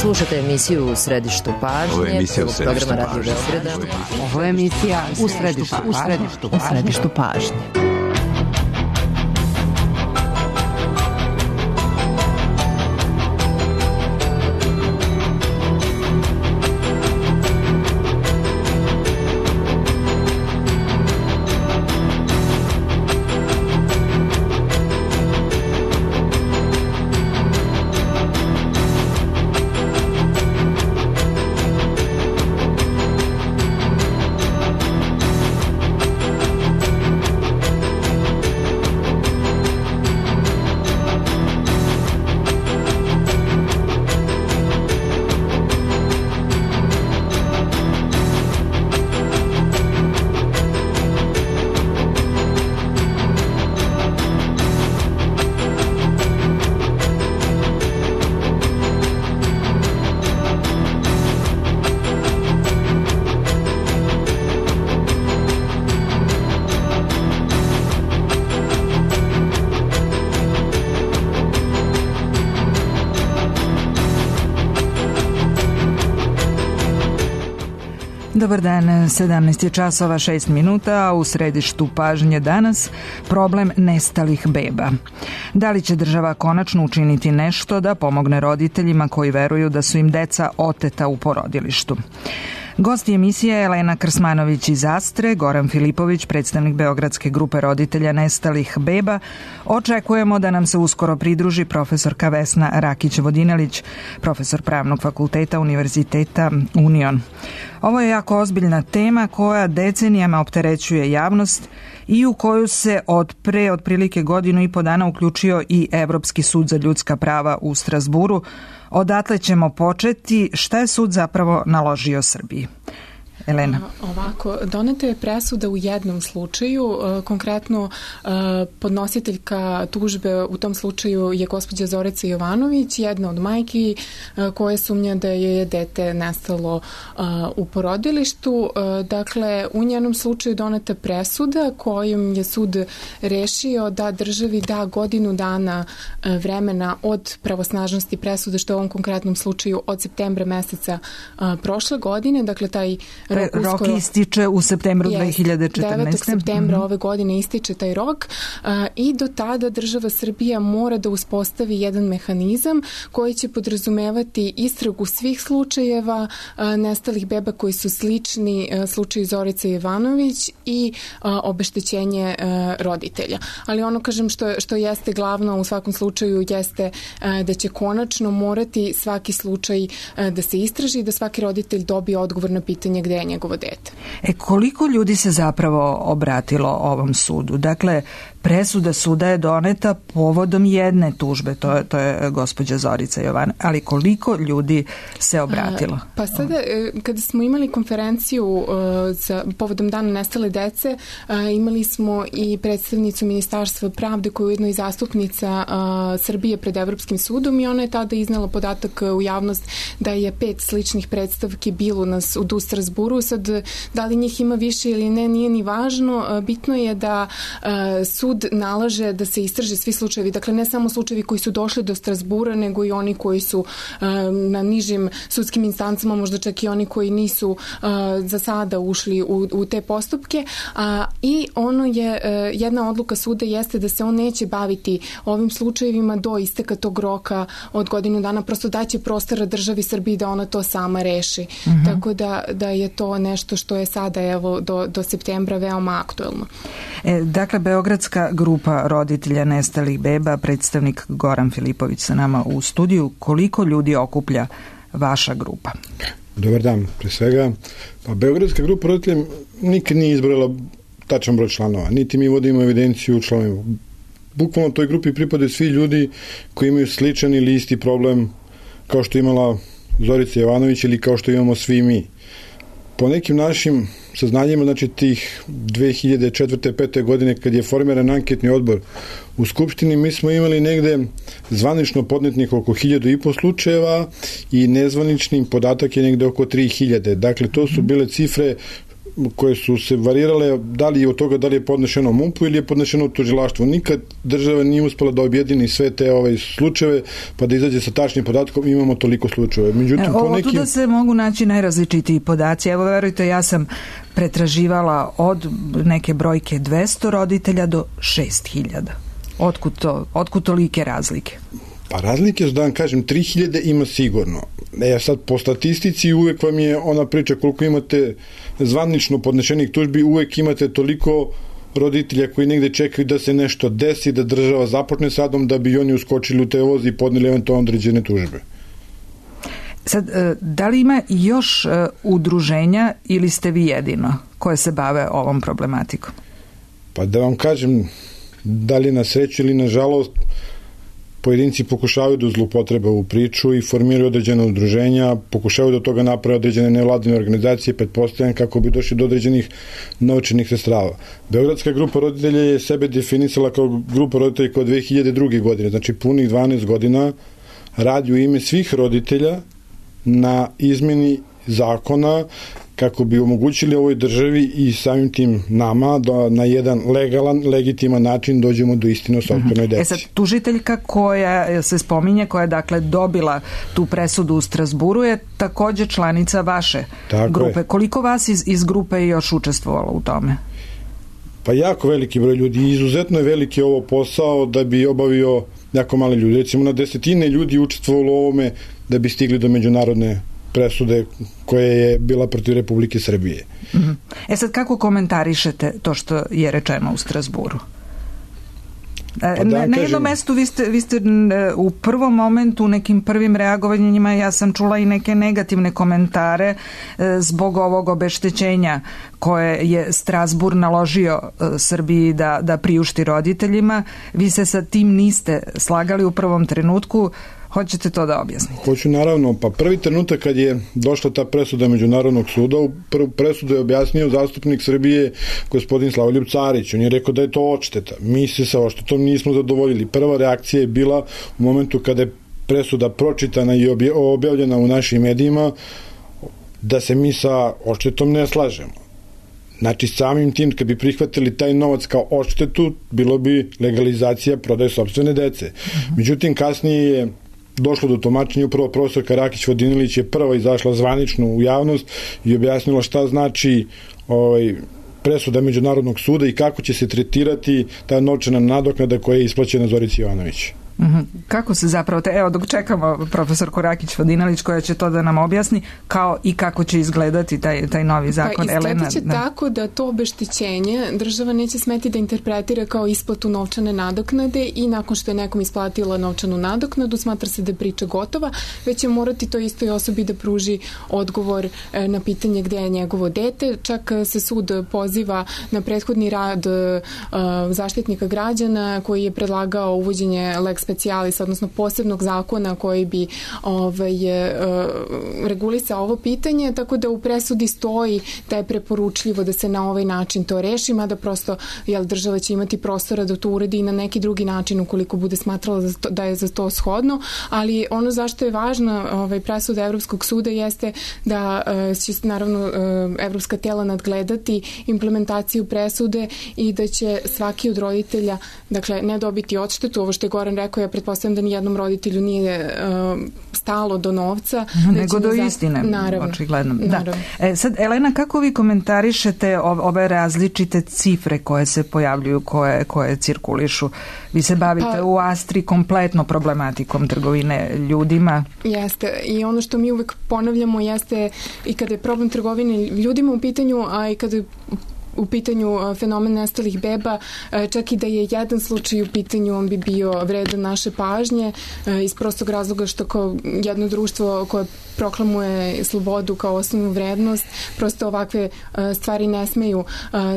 Slušate emisiju U središtu pažnje, programa Radio Beograda. Ovo je emisija U središtu pažnje. Dobar dan, 17 je časova 6 minuta, a u središtu pažnje danas problem nestalih beba. Da li će država konačno učiniti nešto da pomogne roditeljima koji veruju da su im deca oteta u porodilištu? Gosti emisije Elena Krsmanović iz Astre, Goran Filipović, predstavnik Beogradske grupe roditelja nestalih beba. Očekujemo da nam se uskoro pridruži profesorka Vesna Rakić-Vodinelić, profesor Pravnog fakulteta Univerziteta Union. Ovo je jako ozbiljna tema koja decenijama opterećuje javnost i u koju se od pre otprilike godinu i po dana uključio i Evropski sud za ljudska prava u Strazburu. Odatle ćemo početi. Šta je sud zapravo naložio Srbiji? Elena. Ovako, doneta je presuda u jednom slučaju, konkretno podnositeljka tužbe u tom slučaju je gospođa Zorica Jovanović, jedna od majki koja sumnja da je dete nestalo u porodilištu. Dakle, u njenom slučaju doneta presuda kojom je sud rešio da državi da godinu dana vremena od pravosnažnosti presude, što je u ovom konkretnom slučaju od septembra meseca prošle godine. Dakle, taj rok ističe u septembru 2014. 9. septembra ove godine ističe taj rok i do tada država Srbija mora da uspostavi jedan mehanizam koji će podrazumevati istragu svih slučajeva nestalih beba koji su slični slučaju Zorice Jovanović i obeštećenje roditelja. Ali ono, kažem, što jeste glavno u svakom slučaju jeste da će konačno morati svaki slučaj da se istraži i da svaki roditelj dobije odgovor na pitanje gde je njegovo dete. Koliko ljudi se zapravo obratilo ovom sudu? Dakle, presuda suda je doneta povodom jedne tužbe, to je gospođa Zorica Jovanović, ali koliko ljudi se obratilo? Pa sada, kada smo imali konferenciju povodom Dana nestale dece, imali smo i predstavnicu Ministarstva pravde koja je ujedno i zastupnica Srbije pred Evropskim sudom i ona je tada iznala podatak u javnost da je 5 sličnih predstavki bilo na sudu u Strazburu. Sad, da li njih ima više ili ne, nije ni važno. Bitno je da sud nalaže da se istraže svi slučajevi. Dakle, ne samo slučajevi koji su došli do Strazbura, nego i oni koji su na nižim sudskim instancama, možda čak i oni koji nisu za sada ušli u te postupke. I ono je, jedna odluka suda jeste da se on neće baviti ovim slučajevima do isteka tog roka od godinu dana, prosto daće prostora državi Srbiji da ona to sama reši. Tako da je to nešto što je sada evo do septembra veoma aktuelno. Dakle, Beogradska grupa roditelja nestalih beba, predstavnik Goran Filipović sa nama u studiju. Koliko ljudi okuplja vaša grupa? Dobar dan, pre svega. Pa Beogradska grupa roditelja nikad nije izbrojala tačan broj članova, niti mi vodimo evidenciju članova. Bukvalno toj grupi pripadaju svi ljudi koji imaju sličan ili isti problem kao što imala Zorica Jovanović ili kao što imamo svi mi. Po nekim našim saznanjima, znači tih 2004. 5. godine kad je formiran anketni odbor u Skupštini, mi smo imali negde zvanično podnetnih oko 1500 slučajeva i nezvaničnim podatak je negde oko 3000. Dakle, to su bile cifre koje su se varirale, da li je od toga da li je podnešeno MUP-u ili je podnešeno tužilaštvu. Nikad država nije uspela da objedini sve te slučajeve, pa da izađe sa tačnim podatkom, imamo toliko slučajeva. Međutim, Otuda se mogu naći najrazličitiji podaci. Evo, verujte, ja sam pretraživala od neke brojke 200 roditelja do 6000. Otkud tolike razlike? Pa razlike su, da vam kažem, 3000 ima sigurno. Sad po statistici uvek vam je ona priča koliko imate zvanično podnešenih tužbi, uvek imate toliko roditelja koji negde čekaju da se nešto desi, da država započne s radom, da bi oni uskočili u te voz i podneli eventualno određene tužbe. Sad, da li ima još udruženja ili ste vi jedino koje se bave ovom problematikom? Pa da vam kažem, da li na sreću ili na žalost, pojedinci pokušavaju da zloupotrebe ovu priču i formiraju određene udruženja, pokušavaju da od toga naprave određene nevladine organizacije, pretpostavljam kako bi došli do određenih novčanih sredstava. Beogradska grupa roditelja je sebe definisala kao grupa roditelja kao 2002. godine, znači punih 12 godina radi u ime svih roditelja na izmeni zakona kako bi omogućili ovoj državi i samim tim nama da na jedan legalan, legitiman način dođemo do istine o sopstvenoj deci. Sad, tužiteljka koja se spominje, koja je dakle dobila tu presudu u Strazburu, je takođe članica vaše grupe. Je. Koliko vas iz grupe je još učestvovalo u tome? Pa jako veliki broj ljudi. Izuzetno je veliki ovo posao da bi obavio jako mali ljudi. Recimo na desetine ljudi učestvovalo u ovome da bi stigli do međunarodne presude koja je bila protiv Republike Srbije. Sad, kako komentarišete to što je rečeno u Strazburu? Na jednom mestu vi ste u prvom momentu, u nekim prvim reagovanjima, ja sam čula i neke negativne komentare zbog ovog obeštećenja koje je Strazbur naložio Srbiji da priušti roditeljima. Vi se sa tim niste slagali u prvom trenutku. Hoćete to da objasnite? Hoću, naravno. Pa prvi trenutak kad je došla ta presuda Međunarodnog suda, u prvu presudu je objasnio zastupnik Srbije gospodin Slavoljub Carić. On je rekao da je to odšteta. Mi se sa odštetom nismo zadovoljili. Prva reakcija je bila u momentu kada je presuda pročitana i objavljena u našim medijima da se mi sa odštetom ne slažemo. Znači, samim tim, kad bi prihvatili taj novac kao odštetu, bilo bi legalizacija prodaje sopstvene dece. Međutim, kasnije je došlo do tumačenja, upravo profesorka Rakić Vodinilić je prva izašla zvanično u javnost i objasnila šta znači presuda Međunarodnog suda i kako će se tretirati ta novčana nadoknada koja je isplaćena Zorici Jovanović. Kako se zapravo, evo dok čekamo profesorku Rakić Vodinilić koja će to da nam objasni, kao i kako će izgledati taj novi zakon. Pa izgledat će tako da to obeštećenje država neće smeti da interpretira kao isplatu novčane nadoknade i nakon što je nekom isplatila novčanu nadoknadu smatra se da je priča gotova, već će morati to istoj osobi da pruži odgovor na pitanje gde je njegovo dete. Čak se sud poziva na prethodni rad zaštitnika građana koji je predlagao uvođenje lex specialis, odnosno posebnog zakona koji bi regulisao ovo pitanje, tako da u presudi stoji da je preporučljivo da se na ovaj način to reši, mada prosto država će imati prostora da to uredi i na neki drugi način ukoliko bude smatrala da je za to shodno, ali ono zašto je važna presuda Evropskog suda jeste da će naravno evropska tela nadgledati implementaciju presude i da će svaki od roditelja, dakle, ne dobiti odštetu, ovo što je Goran rekao, ja pretpostavljam da nijednom roditelju nije stalo do novca. Nego do istine, očigledno. Da. Sad, Elena, kako vi komentarišete ove različite cifre koje se pojavljuju, koje cirkulišu? Vi se bavite u Astri kompletno problematikom trgovine ljudima. Jeste. I ono što mi uvek ponavljamo jeste i kada je problem trgovine ljudima u pitanju, a i kada je u pitanju fenomen nestalih beba, čak i da je jedan slučaj u pitanju, on bi bio vredan naše pažnje iz prostog razloga što kao jedno društvo koje proklamuje slobodu kao osnovnu vrednost, prosto ovakve stvari ne smeju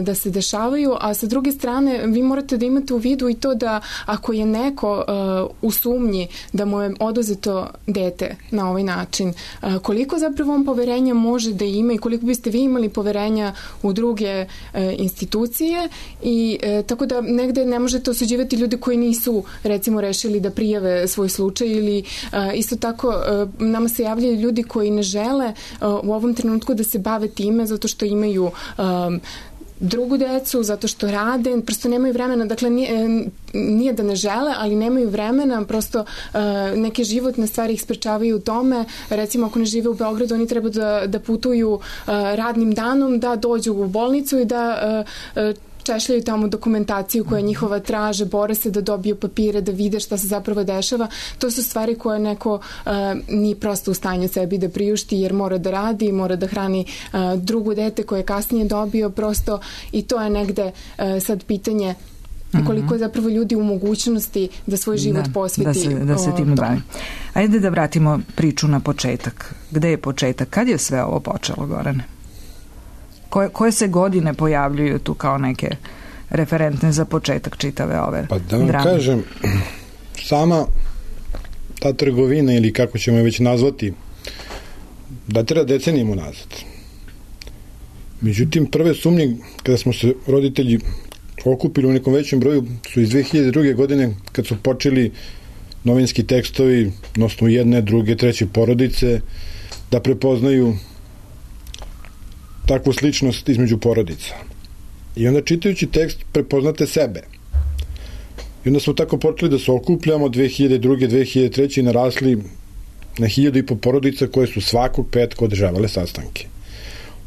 da se dešavaju, a sa druge strane vi morate da imate u vidu i to da ako je neko u sumnji da mu je oduzeto dete na ovaj način, koliko zapravo on poverenja može da ima i koliko biste vi imali poverenja u druge institucije i tako da negde ne možete osuđivati ljude koji nisu recimo rešili da prijave svoj slučaj ili isto tako nama se javljaju ljudi koji ne žele u ovom trenutku da se bave time zato što imaju drugu decu, zato što rade, prosto nemaju vremena, dakle nije da ne žele, ali nemaju vremena, prosto neke životne stvari ih sprečavaju u tome, recimo ako ne žive u Beogradu, oni treba da putuju radnim danom, da dođu u bolnicu i da češljaju tamo dokumentaciju koja njihova traže, bore se da dobiju papire, da vide šta se zapravo dešava. To su stvari koje neko nije prosto u stanju sebi da priušti jer mora da radi, mora da hrani drugo dete koje je kasnije dobio prosto i to je negde sad pitanje koliko je zapravo ljudi u mogućnosti da svoj život posveti da se tim bavi. Ajde da vratimo priču na početak. Gde je početak? Kad je sve ovo počelo, Gorane? Koje se godine pojavljuju tu kao neke referentne za početak čitave ove Pa da vam drame? Kažem, sama ta trgovina ili kako ćemo je već nazvati datira decenijama nazad. Međutim, prve sumnje kada smo se roditelji okupili u nekom većem broju su iz 2002. godine kad su počeli novinski tekstovi na osnovu jedne, druge, treće porodice da prepoznaju takvu sličnost između porodica. I onda čitajući tekst prepoznate sebe. I onda smo tako počeli da se okupljamo 2002. 2003. i narasli na 1.500 porodica koje su svakog petka održavale sastanke.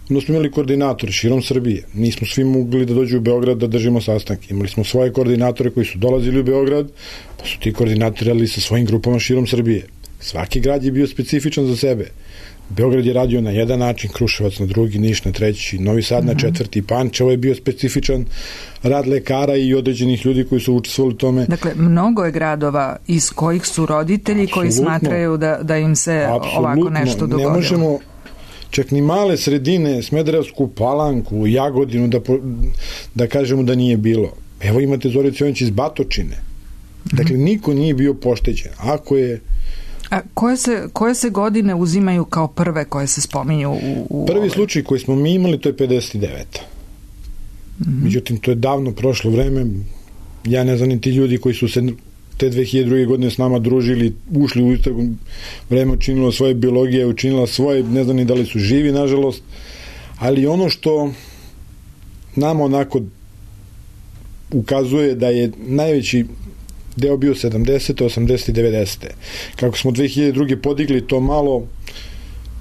Onda smo imali koordinatore širom Srbije. Nismo svi mogli da dođu u Beograd da držimo sastanke. Imali smo svoje koordinatore koji su dolazili u Beograd, pa su ti koordinatori radili sa svojim grupama širom Srbije. Svaki grad je bio specifičan za sebe. Beograd je radio na jedan način, Kruševac na drugi, Niš na treći, Novi Sad na četvrti, Pančevo je bio specifičan rad lekara i određenih ljudi koji su učestvovali u tome. Dakle, mnogo je gradova iz kojih su roditelji koji smatraju da im se ovako nešto dogodilo. Ne možemo čak ni male sredine, Smederevsku Palanku, Jagodinu, da kažemo da nije bilo. Evo imate Zoricu Jović iz Batočine. Dakle, niko nije bio pošteđen. Ako je A koje se godine uzimaju kao prve koje se spominju u prvi slučaj koji smo mi imali, to je 59. Međutim, to je davno prošlo vreme. Ja ne znam ni ti ljudi koji su se te 2002. godine s nama družili, ušli u istragu, vreme učinilo svoje, biologija učinila svoje, ne znam ni da li su živi, nažalost. Ali ono što nama onako ukazuje da je najveći deo bio 70. 80. 90. Kako smo 2002. podigli to malo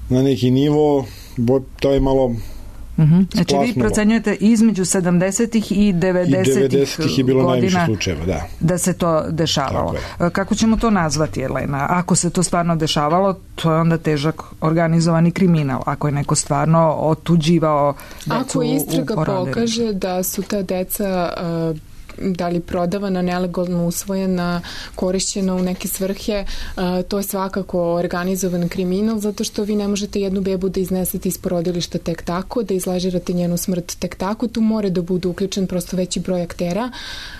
na neki nivo, to je malo Znači vi procenjujete između 70-ih i 90-ih je bilo godina najviše slučajeva, da se to dešavalo. Kako ćemo to nazvati, Jelena? Ako se to stvarno dešavalo, to je onda težak organizovani kriminal. Ako je neko stvarno otuđivao decu ako istraga pokaže da su ta deca da li prodavana, nelegalno usvojena, korišćena u neke svrhe, to je svakako organizovan kriminal, zato što vi ne možete jednu bebu da iznesete iz porodilišta tek tako, da izlažirate njenu smrt tek tako, tu mora da bude uključen prosto veći broj aktera,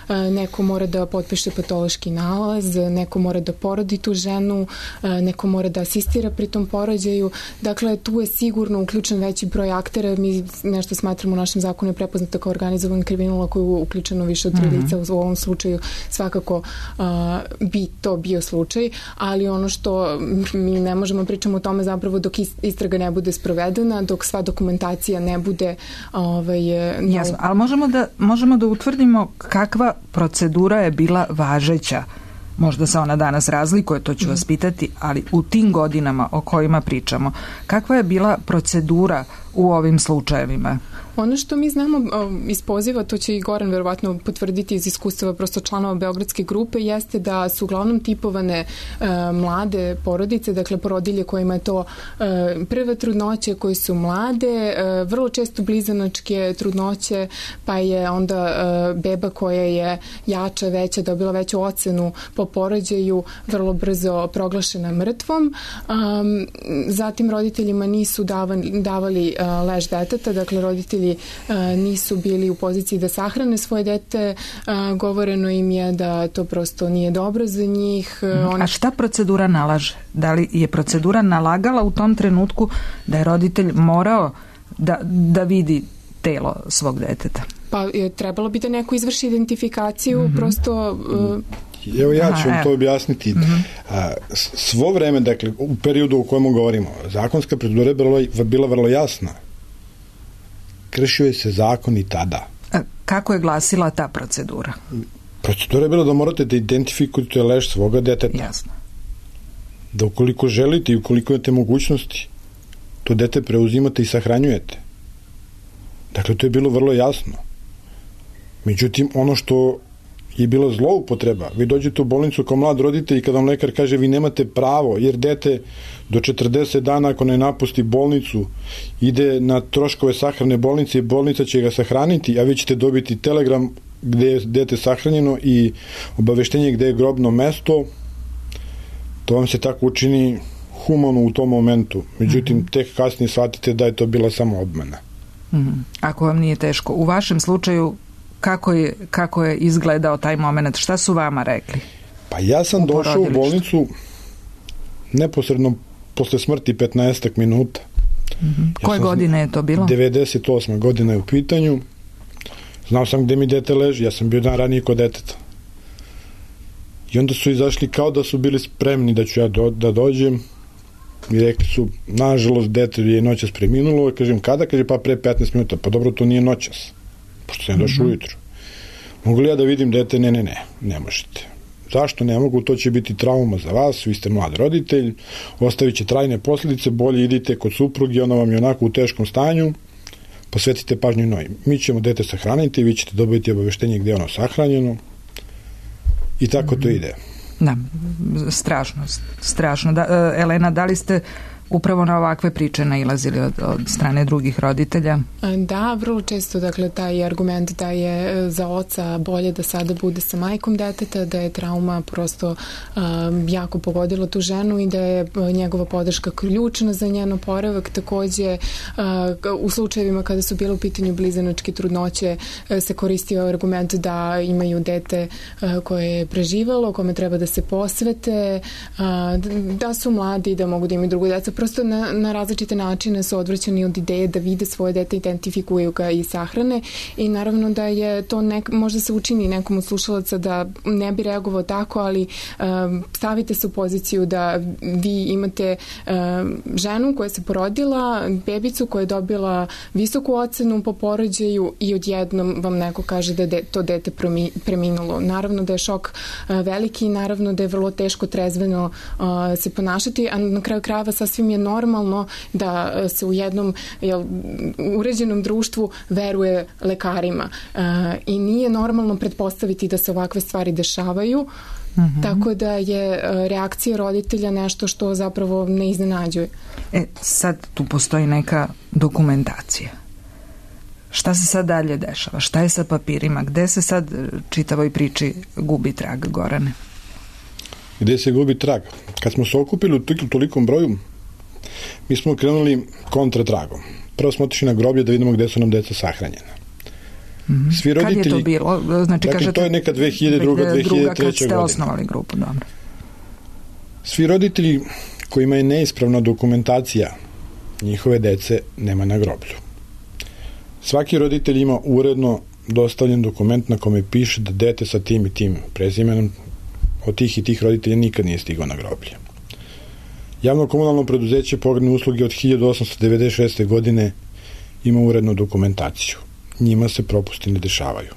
neko mora da potpiše patološki nalaz, neko mora da porodi tu ženu, neko mora da asistira pri tom porođaju, dakle tu je sigurno uključen veći broj aktera, mi nešto smatramo u našem zakonu je prepoznato kao organizovan kriminal ako je uključeno više od lica, u ovom slučaju svakako bi to bio slučaj, ali ono što mi ne možemo pričamo o tome zapravo dok istraga ne bude sprovedena, dok sva dokumentacija ne bude jasno, ali možemo da utvrdimo kakva procedura je bila važeća. Možda se ona danas razlikuje, to ću vas pitati, ali u tim godinama o kojima pričamo, kakva je bila procedura u ovim slučajevima? Ono što mi znamo iz poziva, to će i Goran verovatno potvrditi iz iskustava prosto članova Beogradske grupe, jeste da su uglavnom tipovane mlade porodice, dakle porodilje kojima je to prve trudnoće, koji su mlade, vrlo često blizanačke trudnoće, pa je onda beba koja je jača, veća, dobila veću ocenu po porođaju, vrlo brzo proglašena mrtvom. Zatim roditeljima nisu davali lež deteta, dakle roditelji nisu bili u poziciji da sahrane svoje dete, govoreno im je da to prosto nije dobro za njih. A šta procedura nalaže? Da li je procedura nalagala u tom trenutku da je roditelj morao da vidi telo svog deteta? Pa trebalo bi da neko izvrši identifikaciju, prosto Evo ja ću vam to objasniti. Svo vreme, dakle, u periodu u kojemu govorimo, zakonska procedura je bila vrlo jasna. Kršio je se zakon i tada. Kako je glasila ta procedura? Procedura je bila da morate da identifikujete leš svoga deteta. Jasno. Da ukoliko želite i ukoliko imate mogućnosti, to dete preuzimate i sahranjujete. Dakle, to je bilo vrlo jasno. Međutim, ono što je bila zloupotreba, vi dođete u bolnicu kao mlad roditelj i kada vam lekar kaže vi nemate pravo, jer dete do 40 dana ako ne napusti bolnicu ide na troškove sahrane bolnice i bolnica će ga sahraniti, a vi ćete dobiti telegram gde je dete sahranjeno i obaveštenje gde je grobno mesto, to vam se tako učini humano u tom momentu. Međutim, tek kasnije shvatite da je to bila samo obmana. Ako vam nije teško. U vašem slučaju, kako je izgledao taj moment? Šta su vama rekli? Pa ja sam došao u bolnicu neposredno posle smrti 15 minuta. Koje godine je to bilo? 98. godina je u pitanju. Znao sam gde mi dete leži, ja sam bio dan ranije kod deteta. I onda su izašli kao da su bili spremni da ću ja da dođem i rekli su, nažalost, dete je noćas preminulo. Kažem, kada? Kaže, pa pre 15 minuta. Pa dobro, to nije noćas, pošto sam došao ujutru. Mogu li ja da vidim dete? Ne možete. Zašto ne mogu? To će biti trauma za vas, vi ste mlad roditelj, ostavit će trajne posljedice, bolje idite kod supruge, ona vam je onako u teškom stanju, posvetite pažnju njoj. Mi ćemo dete sahraniti, vi ćete dobiti obaveštenje gde je ono sahranjeno i tako to ide. Da, strašno. Da, Elena, da li ste upravo na ovakve priče nailazili od strane drugih roditelja? Da, vrlo često, dakle, taj argument da je za oca bolje da sada bude sa majkom deteta, da je trauma prosto jako pogodila tu ženu i da je njegova podrška ključna za njen oporavak. Takođe, u slučajevima kada su bile u pitanju blizanačke trudnoće, se koristio argument da imaju dete koje je preživalo, kome treba da se posvete, da su mladi, da mogu da imaju drugu decu. Prosto na različite načine su odvraćani od ideje da vide svoje dete, identifikuju ga i sahrane i naravno da je to možda se učini nekom od slušalaca da ne bi reagovao tako, ali stavite se u poziciju da vi imate ženu koja se porodila, bebicu koja je dobila visoku ocenu po porođaju i odjednom vam neko kaže da je to dete preminulo. Naravno da je šok veliki i naravno da je vrlo teško trezveno se ponašati, a na kraju krajeva sasvim je normalno da se u jednom uređenom društvu veruje lekarima i nije normalno pretpostaviti da se ovakve stvari dešavaju, tako da je reakcija roditelja nešto što zapravo ne iznenađuje. Sad tu postoji neka dokumentacija. Šta se sad dalje dešava? Šta je sa papirima? Gde se sad čitavoj priči gubi trag, Gorane? Gde se gubi trag? Kad smo se okupili u tolikom broju, mi smo krenuli kontratragom. Prvo smo otišli na groblje da vidimo gde su nam deca sahranjena. Svi roditelji, kad je to bilo? Znači, dakle, to je neka 2002-2003. kad ste osnovali grupu, dobro. Svi roditelji kojima je neispravna dokumentacija njihove dece nema na groblju. Svaki roditelj ima uredno dostavljen dokument na kome piše da dete sa tim i tim prezimenom od tih i tih roditelja nikad nije stigao na groblje. Javno komunalno preduzeće pogrebne usluge od 1896. godine ima urednu dokumentaciju. Njima se propusti ne dešavaju.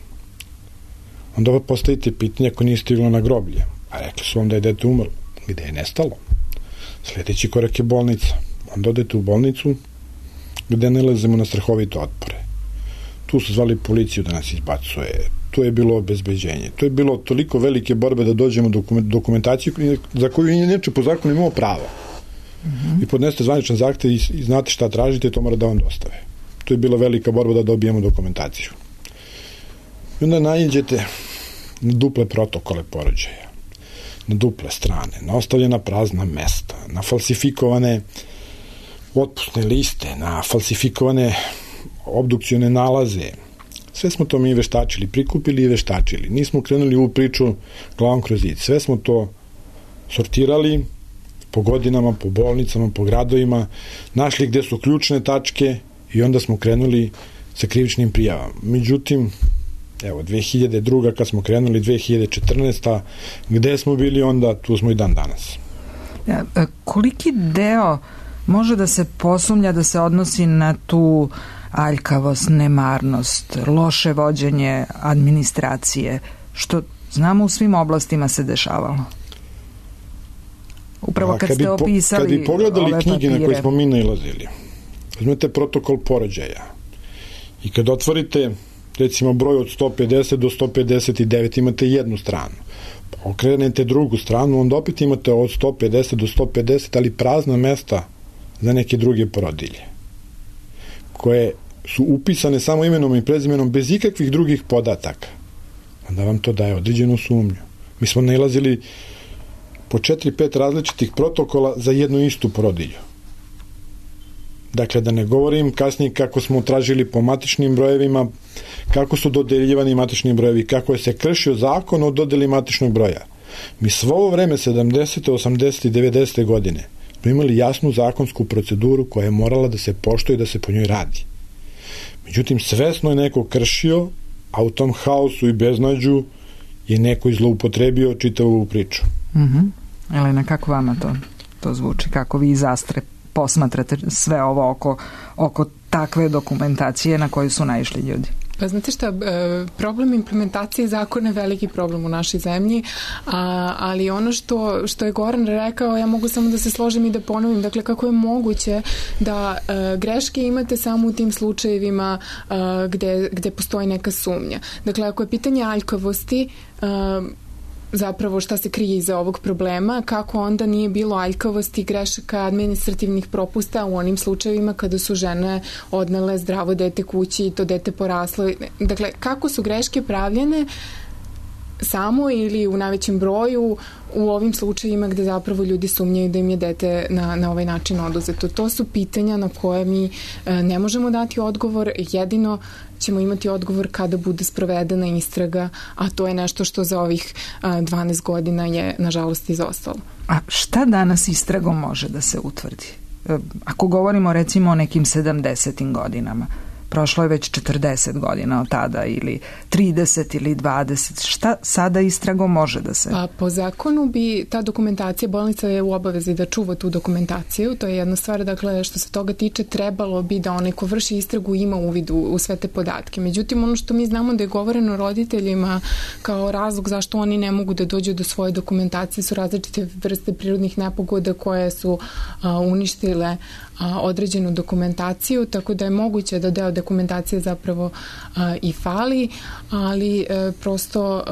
Onda postavite pitanje ako nije stiglo na groblje, a rekli su vam da je dete umrlo. Gde je nestalo? Sljedeći korak je bolnica. Onda odete u bolnicu gde nalazimo na strahovite otpore. Tu su zvali policiju da nas izbacuje. Tu je bilo obezbeđenje. To je bilo toliko velike borbe da dođemo do dokumentaciju za koju inače po zakonu imamo pravo. I podnesete zvaničan zahtev i znate šta tražite, to mora da vam dostave. To je bila velika borba da dobijemo dokumentaciju. I onda naiđete na duple protokole porođaja, na duple strane, na ostavljena prazna mesta, na falsifikovane otpusne liste, na falsifikovane obdukcione nalaze. Sve smo to mi veštačili, prikupili i veštačili. Nismo krenuli u priču glavom kroz zid. Sve smo to sortirali po godinama, po bolnicama, po gradovima, našli gde su ključne tačke i onda smo krenuli sa krivičnim prijavama. Međutim, Evo, 2002. kad smo krenuli, 2014. Gde smo bili onda, tu smo i dan danas. Koliki deo može da se posumnja da se odnosi na tu aljkavost, nemarnost, loše vođenje administracije, što znamo u svim oblastima se dešavalo? Upravo kad ste opisali kad bi pogledali ove knjige papire, na koje smo mi nailazili, uzmete protokol porođaja i kad otvorite recimo broj od 150 do 159 imate jednu stranu, okrenete drugu stranu, onda opet imate od 150 do 150, ali prazna mesta za neke druge porodilje koje su upisane samo imenom i prezimenom bez ikakvih drugih podataka. Onda vam to daje određenu sumnju. Mi smo nailazili po 4-5 različitih protokola za jednu istu porodilju. Dakle, da ne govorim kasnije kako smo tražili po matičnim brojevima, kako su dodeljivani matični brojevi, kako je se kršio zakon o dodeli matičnog broja. Mi svo ovo vreme, 70. 80. i 90. godine, smo imali jasnu zakonsku proceduru koja je morala da se poštuje i da se po njoj radi. Međutim, svesno je neko kršio, a u tom haosu i beznađu je neko zloupotrebio čitavu priču. Elena, kako vama to zvuči? Kako vi iz Astre posmatrate sve ovo oko takve dokumentacije na koju su naišli ljudi? Pa znate šta, problem implementacije zakona je veliki problem u našoj zemlji, ali ono što je Goran rekao, ja mogu samo da se složim i da ponovim, dakle kako je moguće da greške imate samo u tim slučajevima gde postoji neka sumnja. Dakle, ako je pitanje aljkavosti, zapravo šta se krije iza ovog problema, kako onda nije bilo aljkavosti, grešaka, administrativnih propusta u onim slučajevima kada su žene odnele zdravo dete kući i to dete poraslo. Dakle, kako su greške pravljene samo ili u najvećem broju u ovim slučajima gde zapravo ljudi sumnjaju da im je dete na ovaj način oduzeto. To su pitanja na koje mi ne možemo dati odgovor, jedino ćemo imati odgovor kada bude sprovedena istraga, a to je nešto što za ovih 12 godina je nažalost izostalo. A šta danas istragom može da se utvrdi? Ako govorimo recimo o nekim 70. godinama, prošlo je već 40 godina od tada ili 30 ili 20. Šta sada istragom može da se... Pa po zakonu bi ta dokumentacija, bolnica je u obavezi da čuva tu dokumentaciju, to je jedna stvar, dakle što se toga tiče trebalo bi da onaj ko vrši istragu ima uvid u sve te podatke. Međutim, ono što mi znamo da je govoreno roditeljima kao razlog zašto oni ne mogu da dođu do svoje dokumentacije su različite vrste prirodnih nepogoda koje su uništile određenu dokumentaciju, tako da je moguće da deo dokumentacije zapravo i fali, ali prosto,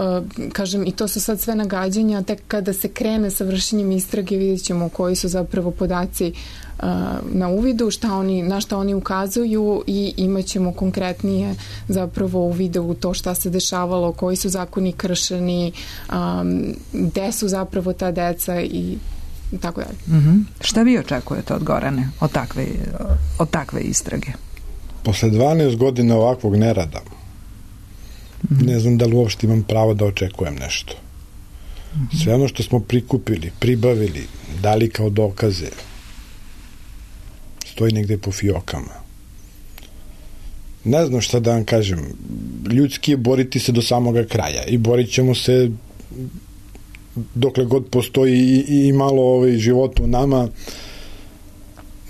kažem, i to su sad sve nagađanja, tek kada se krene sa vršenjem istrage vidjet ćemo koji su zapravo podaci na uvidu, na šta oni ukazuju i imat ćemo konkretnije zapravo uvide u to šta se dešavalo, koji su zakoni kršeni, gde su zapravo ta deca i tako dalje. Šta vi očekujete od Gorane od takve istrage? Posle 12 godina ovakvog nerada ne znam da li uopšte imam pravo da očekujem nešto. Sve ono što smo prikupili, pribavili, dali kao dokaze stoji negde po fiokama. Ne znam šta da vam kažem. Ljudski je boriti se do samoga kraja i borit ćemo se dokle god postoji i malo života u nama.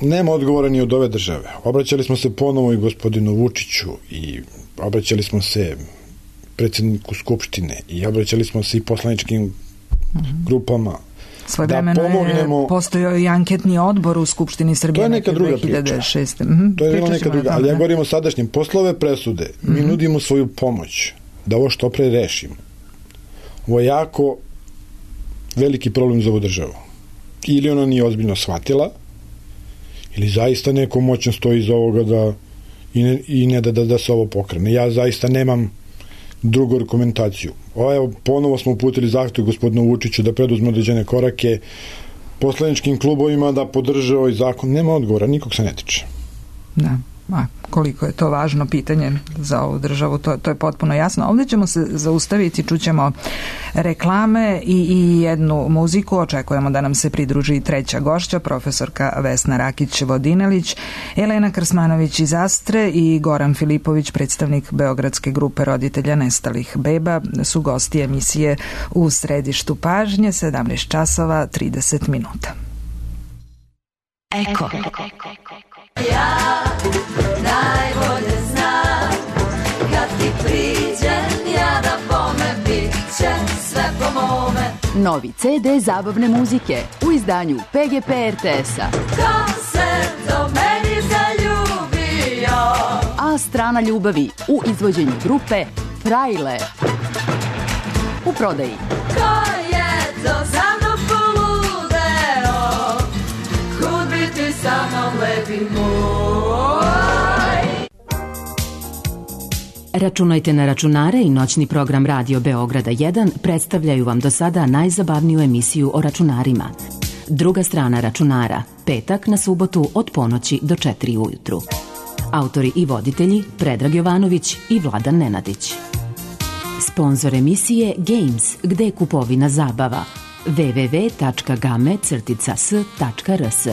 Nema odgovora ni od ove države. Obraćali smo se ponovo i gospodinu Vučiću i obraćali smo se predsjedniku Skupštine i obraćali smo se i poslaničkim grupama. Svojevremeno je postojao i anketni odbor u Skupštini Srbije. To je neka druga 2006. priča. To je neka druga, ali ja govorim o sadašnjem. Posle ove presude mi nudimo svoju pomoć da ovo što pre rešimo. Ovo je jako veliki problem za ovu državu. Ili ona nije ozbiljno shvatila, ili zaista neko moćno stoji iza ovoga i ne da se ovo pokrene. Ja zaista nemam drugu argumentaciju. Evo, ponovo smo uputili zahtev gospodinu Vučiću da preduzme određene korake, poslaničkim klubovima da podrže ovaj zakon. Nema odgovora, nikog se ne tiče. Da. koliko je to važno pitanje za ovu državu, to je potpuno jasno. Ovdje ćemo se zaustaviti, čućemo reklame i jednu muziku. Očekujemo da nam se pridruži treća gošća, profesorka Vesna Rakić-Vodinelić, Elena Krsmanović iz Astre i Goran Filipović, predstavnik Beogradske grupe roditelja nestalih beba, su gosti emisije U središtu pažnje, 17 časova 30 minuta. Eko. Ja najbolje znam kad ti priđem ja da bome bit će sve po mome. Novi CD zabavne muzike u izdanju PGP RTS-a. Ko se do meni zaljubio? A strana ljubavi u izvođenju grupe Frajle. U prodaji. Ko je to za mnom poludeo? Kud bi ti sa mnom lepi moj? Računajte na računare i noćni program Radio Beograda 1 predstavljaju vam do sada najzabavniju emisiju o računarima. Druga strana računara, petak na subotu od ponoći do 4 ujutru. Autori i voditelji Predrag Jovanović i Vladan Nenadić. Sponzor emisije Games, gde je kupovina zabava. www.game-s.rs.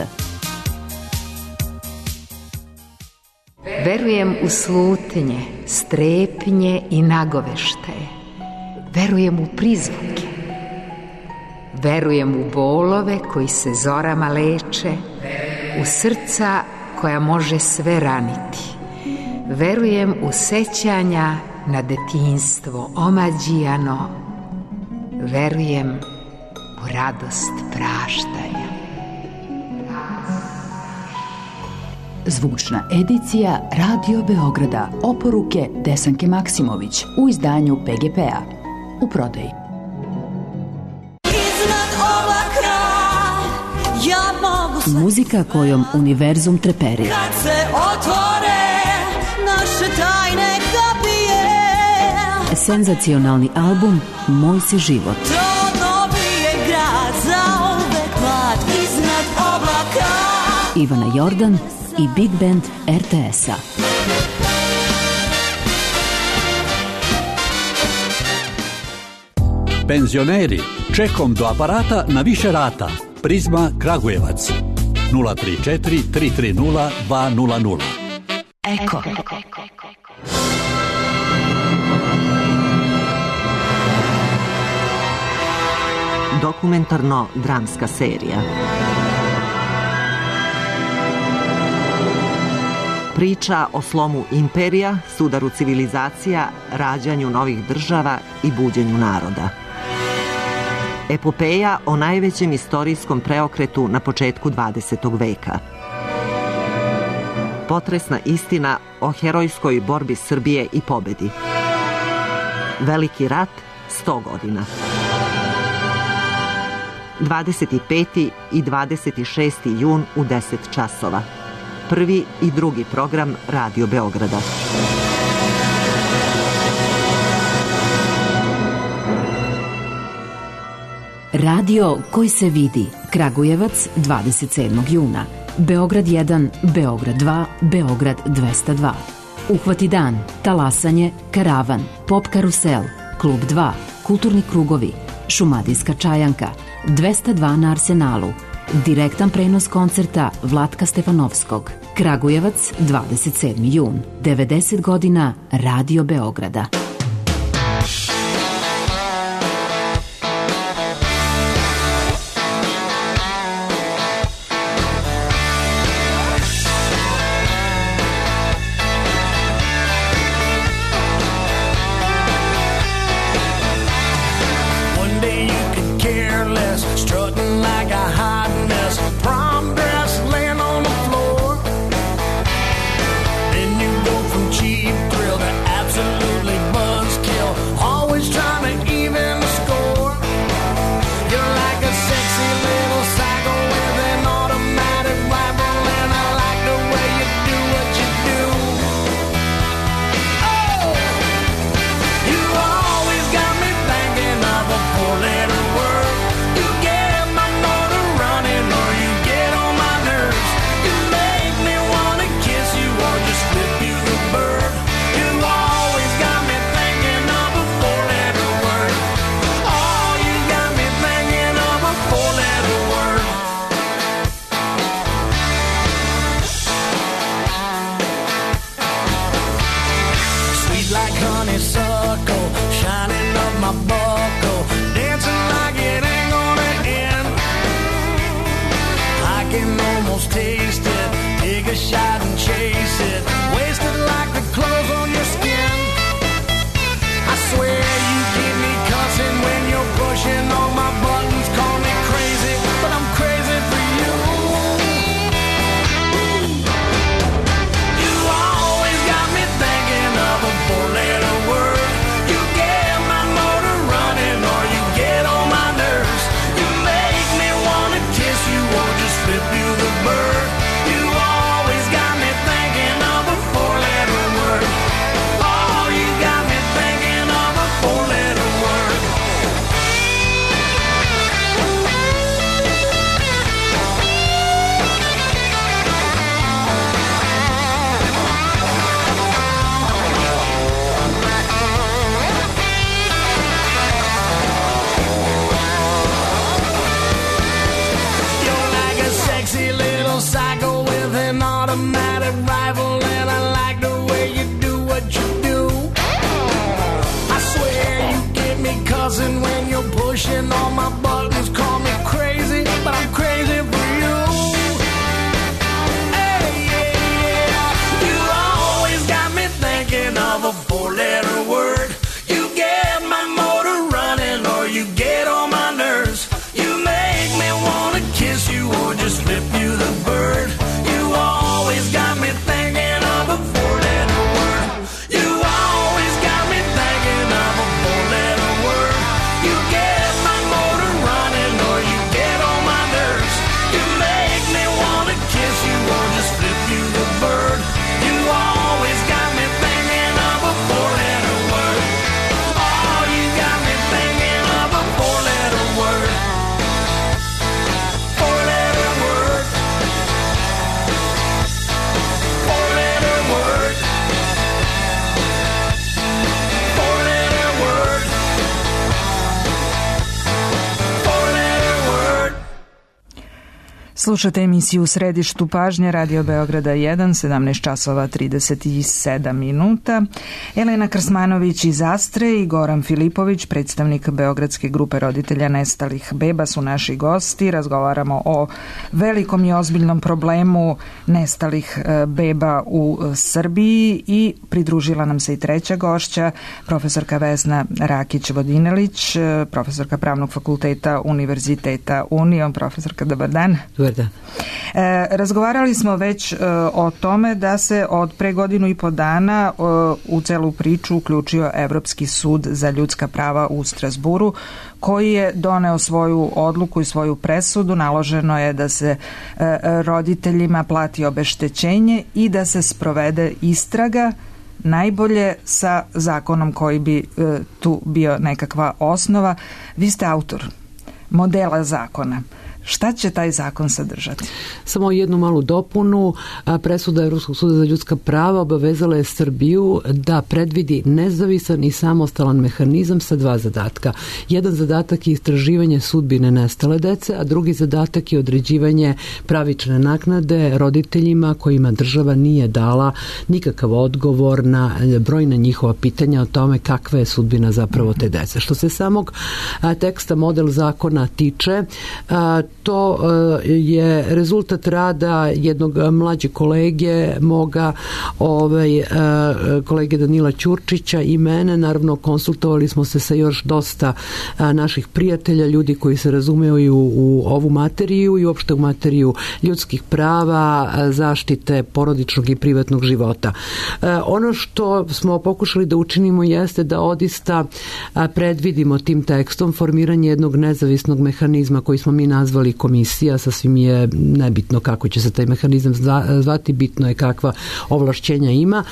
Verujem u slutnje, strepnje i nagoveštaje. Verujem u prizvuke. Verujem u bolove koji se zorama leče, u srca koja može sve raniti. Verujem u sećanja na detinjstvo omađijano. Verujem u radost praštanja. Zvučna edicija Radio Beograda. Oporuke Desanke Maksimović u izdanju PGP-a. U prodaji. Muzika kojom univerzum treperira. Kad se otvore naše tajne kapije. Senzacionalni album Moj si život. To dobije grad zauvek mlad iznad oblaka. Ivana Jordan i Big Band RTS-a. Penzioneri, čekom do aparata na više rata. Prizma Kragujevac 034 330 200. Eko. Dokumentarno-dramska serija. Priča o slomu imperija, sudaru civilizacija, rađanju novih država i buđenju naroda. Epopeja o najvećem istorijskom preokretu na početku 20. veka. Potresna istina o herojskoj borbi Srbije i pobedi. Veliki rat 100 godina. 25. i 26. jun u 10 časova. Prvi i drugi program Radio Beograda. Radio koji se vidi. Kragujevac 27. juna. Beograd 1, Beograd 2, Beograd 202. Uhvati dan, talasanje, karavan, pop karusel, klub 2, kulturni krugovi, šumadijska čajanka, 202 na Arsenalu, direktan prenos koncerta Vlatka Stefanovskog. Kragujevac 27. jun. 90 godina Radio Beograda. Cheap thrill to absolutely taste it. Take a shot and chase it. Wasted like the clothes on your skin. I swear you keep me cussing when you're pushing all my buttons. Call me crazy, but I'm crazy for you. You always got me thinking of a four-letter word. You get my motor running or you get on my nerves. You make me wanna kiss you or just flip you the bird. You always got me thinking of a four-letter word. Oh, you got me thinking of a four-letter word. You're like a sexy little psycho with an automatic rifle, and I like the way you do what you do. I swear you get me cussing when you're pushing all my buttons. Call me crazy, but I'm crazy for you. Hey, yeah, yeah. You always got me thinking of a four-letter word. You get my motor running or you get on my nerves. You make me wanna kiss you or just flip you the bird. You always got me thinking of a four-letter word. You always got me thinking of a four-letter word. You get my motor running or you get on my nerves. You make me wanna kiss you or just flip you the bird. You always got me thinking of a four-letter word. Oh, you got me thinking of a four-letter word. Four-letter word. Four-letter word. Four-letter word. Four-letter word. Slušate emisiju U središtu pažnje Radio Beograda 1, 17 časova 37 minuta. Elena Krsmanović iz Astre i Goran Filipović, predstavnik Beogradske grupe roditelja nestalih beba, su naši gosti. Razgovaramo o velikom i ozbiljnom problemu nestalih beba u Srbiji i pridružila nam se i treća gošća, profesorka Vesna Rakić-Vodinelić, profesorka Pravnog fakulteta Univerziteta Union. Profesorka, dobar dan. Dobar dan. Razgovarali smo već o tome da se od pre godinu i po dana u celu priču uključio Evropski sud za ljudska prava u Strazburu, koji je doneo svoju odluku i svoju presudu. Naloženo je da se roditeljima plati obeštećenje i da se sprovede istraga, najbolje sa zakonom koji bi tu bio nekakva osnova. Vi ste autor modela zakona. Šta će taj zakon sadržati? Samo jednu malu dopunu. Presuda Evropskog suda za ljudska prava obavezala je Srbiju da predvidi nezavisan i samostalan mehanizam sa dva zadatka. Jedan zadatak je istraživanje sudbine nestale dece, a drugi zadatak je određivanje pravične naknade roditeljima kojima država nije dala nikakav odgovor na brojna njihova pitanja o tome kakva je sudbina zapravo te dece. Što se samog teksta model zakona tiče, to je rezultat rada jednog mlađeg kolege, moga kolege Danila Ćurčića i mene. Naravno, konsultovali smo se sa još dosta naših prijatelja, ljudi koji se razumeju u ovu materiju i uopšte u materiju ljudskih prava, zaštite porodičnog i privatnog života. Ono što smo pokušali da učinimo jeste da odista predvidimo tim tekstom formiranje jednog nezavisnog mehanizma koji smo mi nazvali komisija. Sasvim je nebitno kako će se taj mehanizam zvati, bitno je kakva ovlašćenja ima.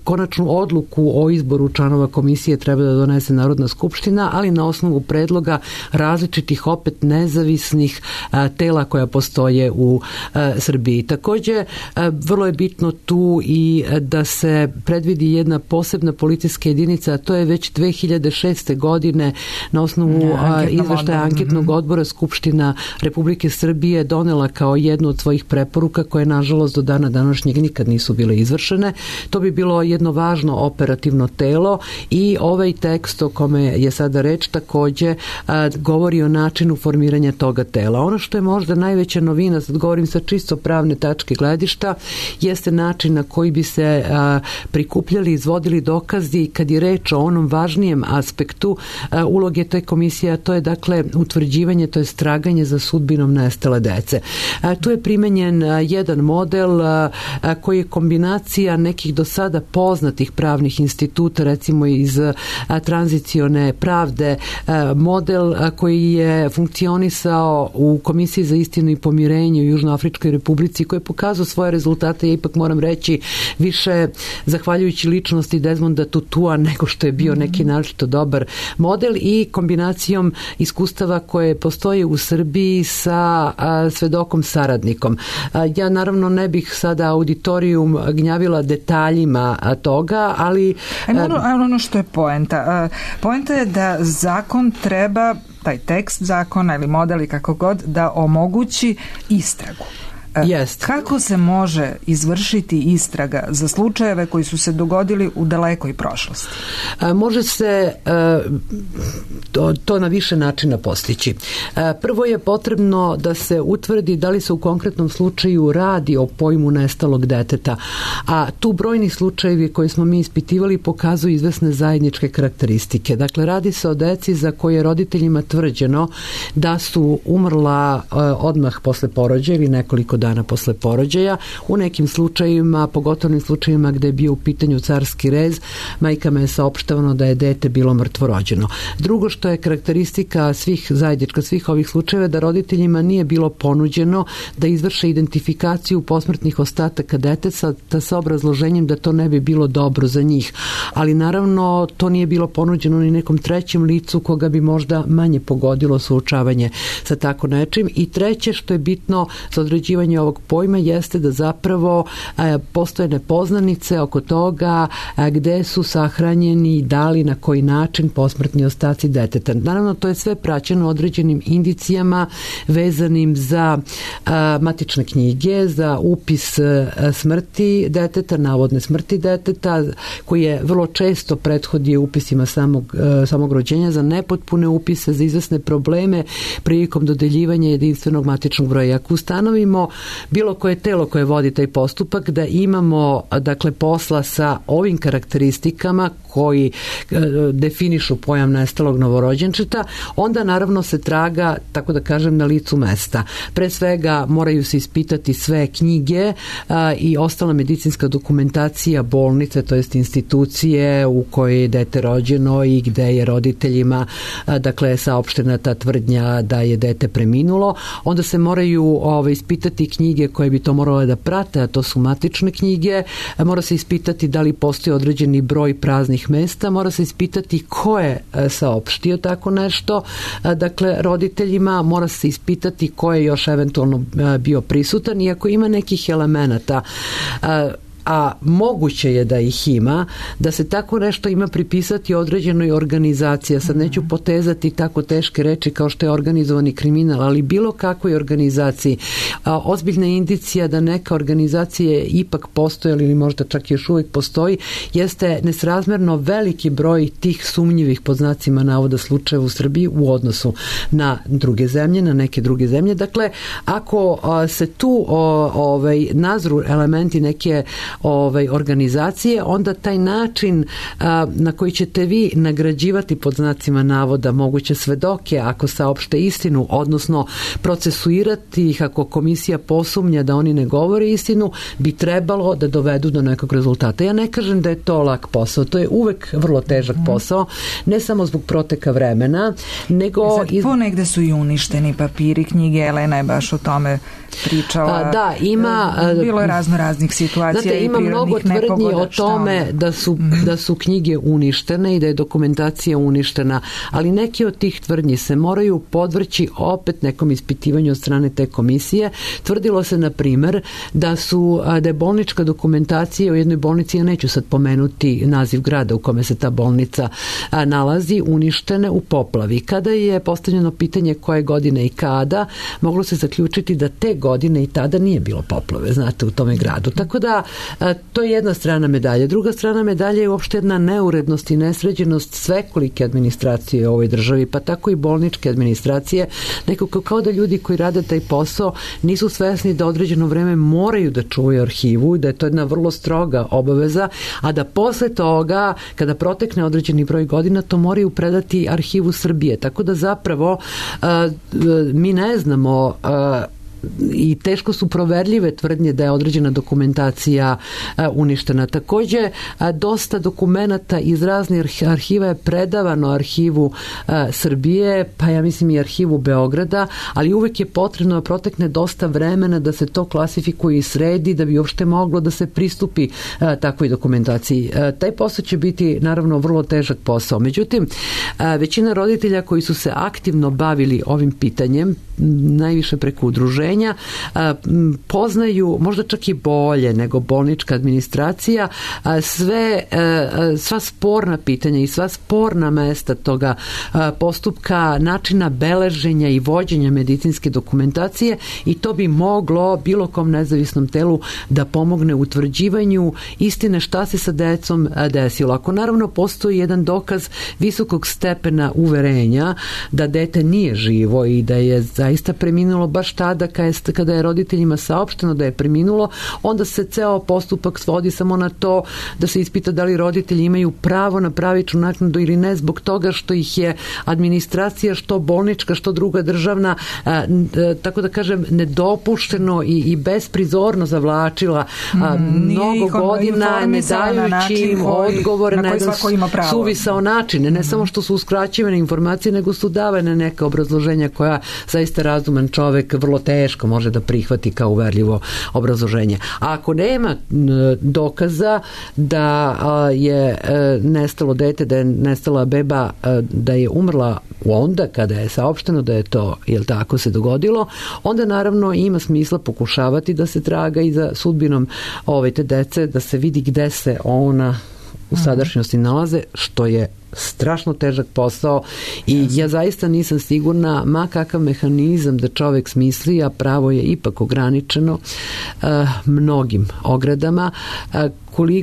Konačnu odluku o izboru članova komisije treba da donese Narodna skupština, ali na osnovu predloga različitih opet nezavisnih tela koja postoje u Srbiji. Takođe, vrlo je bitno tu i da se predvidi jedna posebna policijska jedinica, a to je već 2006. godine na osnovu izveštaja anketnog odbora Skupština Republike Srbije donela kao jednu od svojih preporuka koje nažalost do dana današnjeg nikad nisu bile izvršene. To bi bilo jedno važno operativno telo i ovaj tekst o kome je sada reč takođe govori o načinu formiranja toga tela. Ono što je možda najveća novina, sad govorim sa čisto pravne tačke gledišta, jeste način na koji bi se prikupljali, izvodili dokazi kad je reč o onom važnijem aspektu uloge te komisije, a to je dakle utvrđivanje, to je traganje za sudbinom nestale dece. Tu je primenjen jedan model koji je kombinacija nekih do sada poznatih pravnih instituta, recimo iz tranzicione pravde, model koji je funkcionisao u Komisiji za istinu i pomirenje u Južnoafričkoj Republici, koji je pokazao svoje rezultate, ja ipak moram reći, više zahvaljujući ličnosti Desmonda Tutua nego što je bio neki naročito dobar model, i kombinacijom iskustava koje postoje u Srbiji sa svedokom saradnikom. Ja naravno ne bih sada auditorijum gnjavila detaljima toga, ali... Ono što je poenta. Poenta je da zakon treba, taj tekst zakona ili model i kako god, da omogući istragu. Jest. Kako se može izvršiti istraga za slučajeve koji su se dogodili u dalekoj prošlosti? Može se to na više načina postići. Prvo je potrebno da se utvrdi da li se u konkretnom slučaju radi o pojmu nestalog deteta, a tu brojni slučajevi koje smo mi ispitivali pokazuju izvesne zajedničke karakteristike. Dakle, radi se o deci za koje je roditeljima tvrđeno da su umrla odmah posle porođaja ili nekoliko dana posle porođaja. U nekim slučajevima, pogotovo slučajevima gde je bio u pitanju carski rez, majkama je saopštavano da je dete bilo mrtvorođeno. Drugo što je karakteristika zajednička svih ovih slučajeva, da roditeljima nije bilo ponuđeno da izvrše identifikaciju posmrtnih ostataka deteta sa obrazloženjem da to ne bi bilo dobro za njih. Ali naravno to nije bilo ponuđeno ni nekom trećem licu koga bi možda manje pogodilo suočavanje sa tako nečim. I treće što je bitno za određivanje ovog pojma jeste da zapravo postoje nepoznanice oko toga gde su sahranjeni, da li, na koji način posmrtni ostaci deteta. Naravno, to je sve praćeno određenim indicijama vezanim za matične knjige, za upis smrti deteta, navodne smrti deteta, koji je vrlo često prethodio upisima samog rođenja, za nepotpune upise, za izvesne probleme prilikom dodeljivanja jedinstvenog matičnog broja. Ako ustanovimo bilo koje telo koje vodi taj postupak da imamo dakle posla sa ovim karakteristikama koji definišu pojam nestalog novorođenčeta, onda naravno se traga, tako da kažem, na licu mesta. Pre svega moraju se ispitati sve knjige i ostala medicinska dokumentacija bolnice, to jest institucije u kojoj je dete rođeno i gde je roditeljima dakle saopštena ta tvrdnja da je dete preminulo. Onda se moraju ispitati knjige koje bi to morale da prate, a to su matične knjige. Mora se ispitati da li postoji određeni broj praznih mesta, mora se ispitati ko je saopštio tako nešto, dakle roditeljima, mora se ispitati ko je još eventualno bio prisutan, i ako ima nekih elemenata a moguće je da ih ima, da se tako nešto ima pripisati određenoj organizaciji. Sad neću potezati tako teške reči kao što je organizovani kriminal, ali bilo kakvoj organizaciji. Ozbiljna indicija da neka organizacija ipak postoji ili možda čak još uvijek postoji, jeste nesrazmerno veliki broj tih sumnjivih, pod znacima navoda, slučajeva u Srbiji u odnosu na druge zemlje, na neke druge zemlje. Dakle, ako se tu nazru elementi neke organizacije, onda taj način na koji ćete vi nagrađivati, pod znacima navoda, moguće svedoke ako saopšte istinu, odnosno procesuirati ih ako komisija posumnja da oni ne govore istinu, bi trebalo da dovedu do nekog rezultata. Ja ne kažem da je to lak posao, to je uvek vrlo težak posao, ne samo zbog proteka vremena, nego... Ponegde su i uništeni papiri, knjige, Elena je baš o tome pričala. Da, ima... Bilo je raznih situacija. Znate, ima mnogo tvrdnji o tome da su knjige uništene i da je dokumentacija uništena, ali neki od tih tvrdnji se moraju podvrći opet nekom ispitivanju od strane te komisije. Tvrdilo se, na primer, da je bolnička dokumentacija u jednoj bolnici, ja neću sad pomenuti naziv grada u kome se ta bolnica nalazi, uništene u poplavi. Kada je postavljeno pitanje koje godine i kada, moglo se zaključiti da te godine i tada nije bilo poplave, znate, u tome gradu. Tako da, to je jedna strana medalje. Druga strana medalje je uopšte jedna neurednost i nesređenost svekolike administracije u ovoj državi, pa tako i bolničke administracije. Nekako kao da ljudi koji rade taj posao nisu svesni da određeno vreme moraju da čuvaju arhivu, da je to jedna vrlo stroga obaveza, a da posle toga, kada protekne određeni broj godina, to moraju predati Arhivu Srbije. Tako da zapravo mi ne znamo i teško su proverljive tvrdnje da je određena dokumentacija uništena. Takođe, dosta dokumenata iz raznih arhiva je predavano Arhivu Srbije, pa ja mislim i Arhivu Beograda, ali uvek je potrebno da protekne dosta vremena da se to klasifikuje i sredi, da bi uopšte moglo da se pristupi takvoj dokumentaciji. Taj posao će biti naravno vrlo težak posao. Međutim, većina roditelja koji su se aktivno bavili ovim pitanjem, najviše preko udruženja, poznaju možda čak i bolje nego bolnička administracija sva sporna pitanja i sva sporna mesta toga postupka, načina beleženja i vođenja medicinske dokumentacije, i to bi moglo bilo kom nezavisnom telu da pomogne u utvrđivanju istine šta se sa decom desilo. Ako naravno postoji jedan dokaz visokog stepena uverenja da dete nije živo i da je zaista preminulo baš tada kada je roditeljima saopšteno da je preminulo, onda se ceo postupak svodi samo na to da se ispita da li roditelji imaju pravo na pravičnu naknadu ili ne, zbog toga što ih je administracija, što bolnička, što druga državna, tako da kažem, nedopušteno i besprizorno zavlačila mnogo godina, ne dajući im odgovore na jedan suvisao način. Ne samo što su uskraćivane informacije, nego su davane neka obrazloženja koja zaista razuman čovek vrlo teško može da prihvati kao uverljivo obrazloženje. A ako nema dokaza da je nestalo dete, da je nestala beba, da je umrla onda kada je saopšteno da je to, jel tako, se dogodilo, onda naravno ima smisla pokušavati da se traga i za sudbinom te dece, da se vidi gde se ona u sadašnjosti nalaze, što je strašno težak posao i ja zaista nisam sigurna ma kakav mehanizam da čovek smisli, a pravo je ipak ograničeno mnogim ogradama,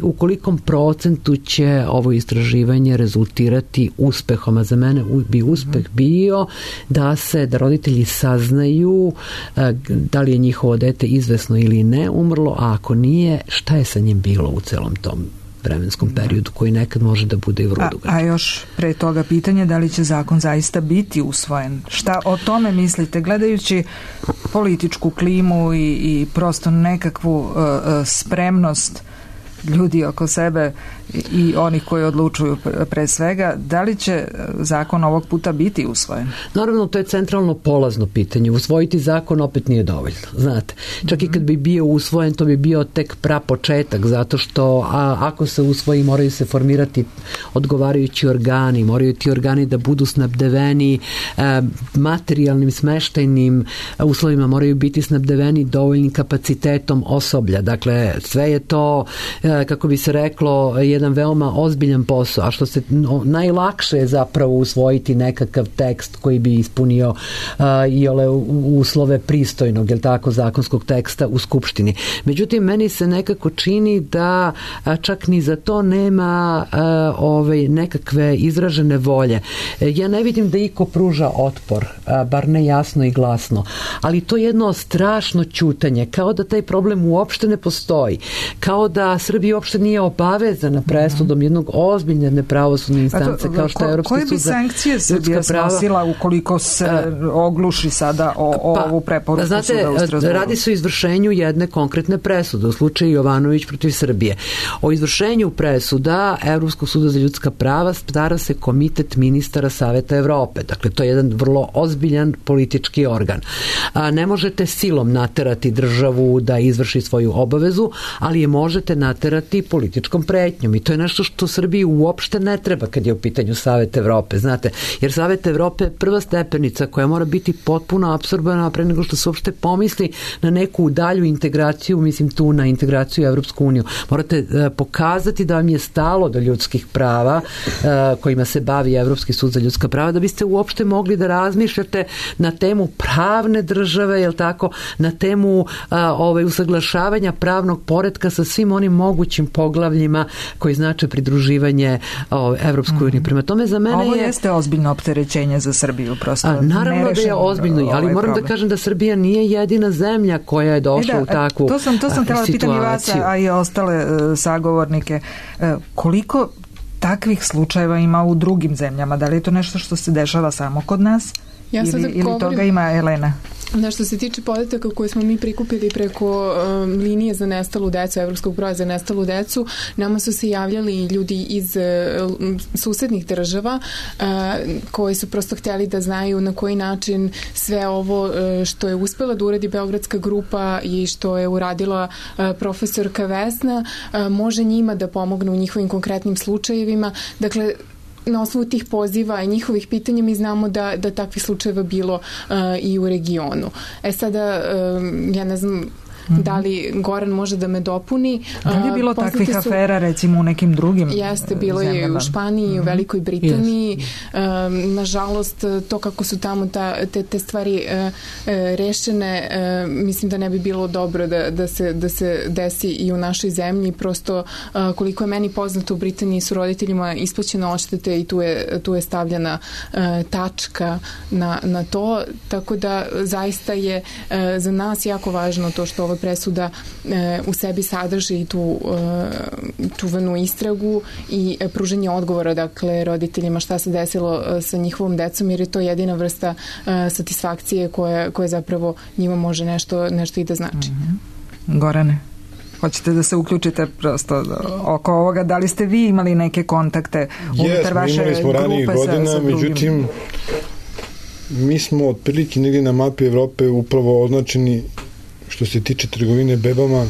u kolikom procentu će ovo istraživanje rezultirati uspehom, a za mene bi uspeh bio da roditelji saznaju da li je njihovo dete izvesno ili ne umrlo, a ako nije, šta je sa njim bilo u celom tom vremenskom periodu koji nekad može da bude i vrlo dugačak. A još pre toga pitanje da li će zakon zaista biti usvojen. Šta o tome mislite, gledajući političku klimu i prosto nekakvu spremnost ljudi oko sebe i onih koji odlučuju pre svega, da li će zakon ovog puta biti usvojen? Naravno, to je centralno polazno pitanje. Usvojiti zakon opet nije dovoljno, znate. Čak i kad bi bio usvojen, to bi bio tek prapočetak, zato što ako se usvoji, moraju se formirati odgovarajući organi, moraju ti organi da budu snabdeveni materijalnim, smeštajnim uslovima, moraju biti snabdeveni dovoljnim kapacitetom osoblja. Dakle, sve je to, kako bi se reklo, jedan veoma ozbiljan posao, a što se najlakše je zapravo usvojiti nekakav tekst koji bi ispunio i ole uslove pristojnog, jel tako, zakonskog teksta u Skupštini. Međutim, meni se nekako čini da čak ni za to nema nekakve izražene volje. Ja ne vidim da iko pruža otpor, bar ne jasno i glasno, ali to je jedno strašno ćutanje, kao da taj problem uopšte ne postoji, kao da Srbija Srbija uopšte nije obavezana presudom jednog ozbiljne pravosudne instance kao što je Evropski sud za ljudska prava. Koje bi sankcije Srbija snosila ukoliko se ogluši sada o ovu preporuku suda u Strasburu? Radi se o izvršenju jedne konkretne presude u slučaju Jovanović protiv Srbije. O izvršenju presuda Evropskog suda za ljudska prava stara se Komitet ministara Saveta Evrope. Dakle, to je jedan vrlo ozbiljan politički organ. Ne možete silom naterati državu da izvrši svoju obavezu, ali je možete naterati političkom pretnjom i to je nešto što Srbiji uopšte ne treba kad je u pitanju Savet Evrope, znate, jer Savet Evrope je prva stepenica koja mora biti potpuno apsorbana pre nego što se uopšte pomisli na neku dalju integraciju, mislim tu na integraciju u Evropsku uniju. Morate pokazati da vam je stalo do ljudskih prava kojima se bavi Evropski sud za ljudska prava, da biste uopšte mogli da razmišljate na temu pravne države, jel tako, na temu usaglašavanja pravnog poretka sa svim onim mogućim poglavljima koji znače pridruživanje Evropskoj uniji. Prema tome za mene ovo jeste ozbiljno opterećenje za Srbiju, prosto. Naravno da je ozbiljno, ali moram da kažem da Srbija nije jedina zemlja koja je došla u takvu situaciju. To sam htjela da pitam i vas, a i ostale sagovornike. Koliko takvih slučajeva ima u drugim zemljama? Da li je to nešto što se dešava samo kod nas? Ili toga ima Elena? Što se tiče podataka koje smo mi prikupili preko linije za nestalu decu, Evropskog broja za nestalu decu, nama su se javljali ljudi iz susednih država koji su prosto htjeli da znaju na koji način sve ovo što je uspela da uradi Beogradska grupa i što je uradila profesorka Vesna može njima da pomogne u njihovim konkretnim slučajevima. Dakle, na osnovu tih poziva i njihovih pitanja mi znamo da takvih slučajeva bilo i u regionu. Sada, ja ne znam da li Goran može da me dopuni. Da li je bilo takvih afera recimo u nekim drugim zemljama? Jeste, bilo je u Španiji, u Velikoj Britaniji. Nažalost, to kako su tamo te stvari rešene, mislim da ne bi bilo dobro da se desi i u našoj zemlji. Prosto, koliko je meni poznato, u Britaniji su roditeljima isplaćene odštete i tu je stavljena tačka na to. Tako da zaista je za nas jako važno to što ova presuda u sebi sadrži i tu čuvenu istragu i pruženje odgovora, dakle, roditeljima šta se desilo sa njihovom decom, jer je to jedina vrsta satisfakcije koja zapravo njima može nešto i da znači. Gorane, hoćete da se uključite prosto oko ovoga? Da li ste vi imali neke kontakte unutar vaše grupe? Imali smo ranijih godina, međutim mi smo otprilike negdje na mapi Evrope upravo označeni što se tiče trgovine bebama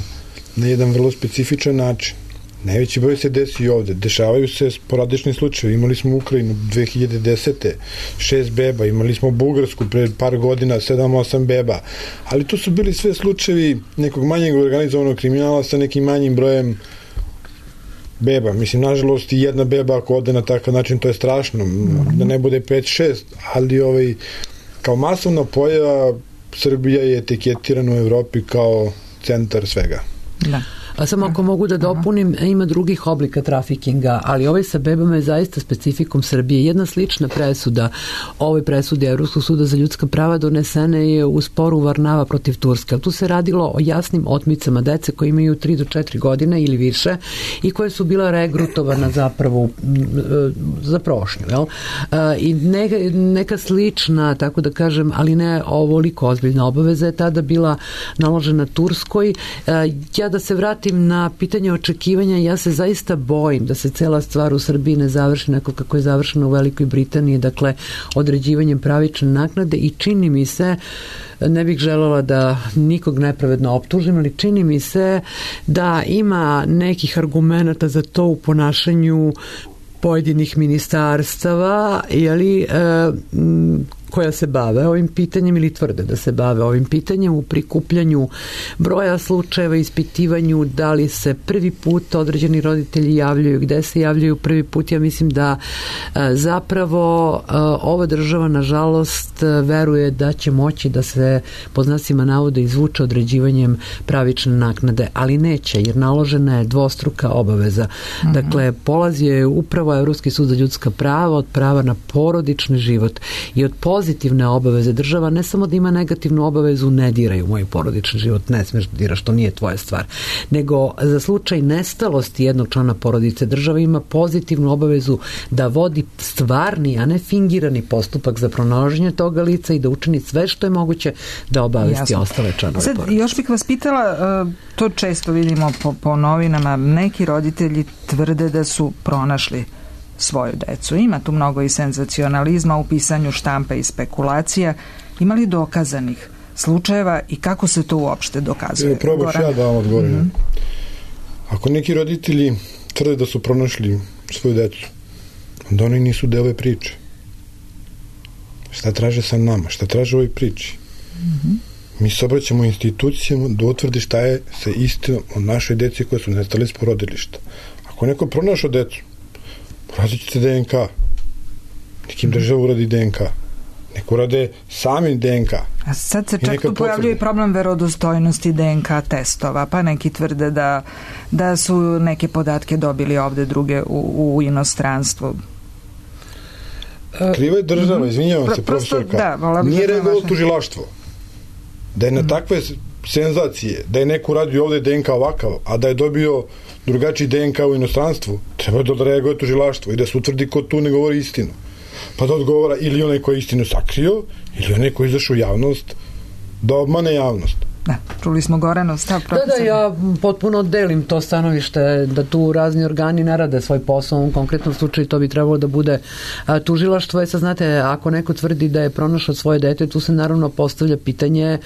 na jedan vrlo specifičan način. Najveći broj se desi i ovde. Dešavaju se sporadični slučajevi. Imali smo Ukrajinu 2010. 6 beba, imali smo Bugarsku pre par godina 7-8 beba, ali to su bili sve slučajevi nekog manjeg organizovanog kriminala sa nekim manjim brojem beba. Mislim, nažalost, i jedna beba ako ode na takav način, to je strašno. Da ne bude 5-6, ali kao masovna pojava Srbija je etiketirana u Evropi kao centar svega. Da. A samo ako mogu da dopunim, ima drugih oblika trafikinga, ali ovaj sa bebama je zaista specifikum Srbije. Jedna slična presuda ovoj presudi Evropskog suda za ljudska prava donesena je u sporu Varnava protiv Turske. Tu se radilo o jasnim otmicama dece koji imaju 3 do 4 godine ili više i koje su bila regrutovana zapravo za prošnju. Jel? I neka slična, tako da kažem, ali ne ovoliko ozbiljna obaveza je tada bila naložena Turskoj. Ja da se vratim na pitanje očekivanja, ja se zaista bojim da se cela stvar u Srbiji ne završi onako kako je završeno u Velikoj Britaniji, dakle određivanjem pravične naknade, i čini mi se, ne bih željela da nikog nepravedno optužim, ali čini mi se da ima nekih argumenata za to u ponašanju pojedinih ministarstava, koja se bave ovim pitanjem ili tvrde da se bave ovim pitanjem u prikupljanju broja slučajeva, ispitivanju da li se prvi put određeni roditelji javljaju, gde se javljaju prvi put. Ja mislim da zapravo ova država nažalost veruje da će moći da se pod znacima navoda izvuče određivanjem pravične naknade, ali neće, jer naložena je dvostruka obaveza. Dakle, polazi je upravo Evropski sud za ljudska prava od prava na porodični život i od poziva pozitivne obaveze. Država ne samo da ima negativnu obavezu, ne diraj u moj porodični život, ne smiješ da diraš, to nije tvoja stvar, nego za slučaj nestalosti jednog člana porodice država ima pozitivnu obavezu da vodi stvarni, a ne fingirani postupak za pronalaženje toga lica i da učini sve što je moguće da obavesti ostale članove porodice. Još bih vas pitala, to često vidimo po novinama, neki roditelji tvrde da su pronašli svoju decu. Ima tu mnogo i senzacionalizma u pisanju štampe i spekulacija. Ima li dokazanih slučajeva i kako se to uopšte dokazuje? Probaš ja da vam odgovorim. Ako neki roditelji tvrde da su pronašli svoju decu, onda oni nisu deo ove priče. Šta traže sa nama? Šta traže u ovoj priči? Mi se obraćamo institucijama da utvrdi šta je sa istinom o našoj deci koje su nestale iz porodilišta. Ako neko pronašao decu, porazit ćete DNK. Nekim država uradi DNK. Neko urade sami DNK. A sad se čak tu pojavljuje i problem verodostojnosti DNK testova, pa neki tvrde da su neke podatke dobili ovde, druge u inostranstvu. Kriva je država, izvinjavam se, profesorka. Nije reagovalo tužilaštvo. Da je na takve senzacije, da je neko uradio ovde DNK ovakav, a da je dobio drugačiji DNK u inostranstvu, treba da reaguje tužilaštvo i da se utvrdi ko tu ne govori istinu. Pa da odgovara ili onaj koji je istinu sakrio, ili onaj koji je izašao u javnost da obmane javnost. Da, čuli smo Goranov stav, profesor. Da, ja potpuno delim to stanovište da tu razni organi ne rade svoj posao. U konkretnom slučaju to bi trebalo da bude tužilaštvo. Sad znate, ako neko tvrdi da je pronašao svoje dete, tu se naravno postavlja pitanje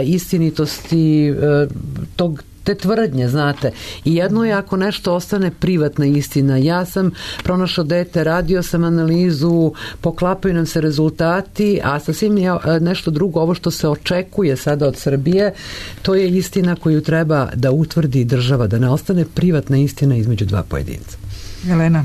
istinitosti te tvrdnje, znate. I jedno je ako nešto ostane privatna istina. Ja sam pronašao dete, radio sam analizu, poklapaju nam se rezultati, a sasvim je nešto drugo, ovo što se očekuje sada od Srbije, to je istina koju treba da utvrdi država, da ne ostane privatna istina između dva pojedinca. Jelena?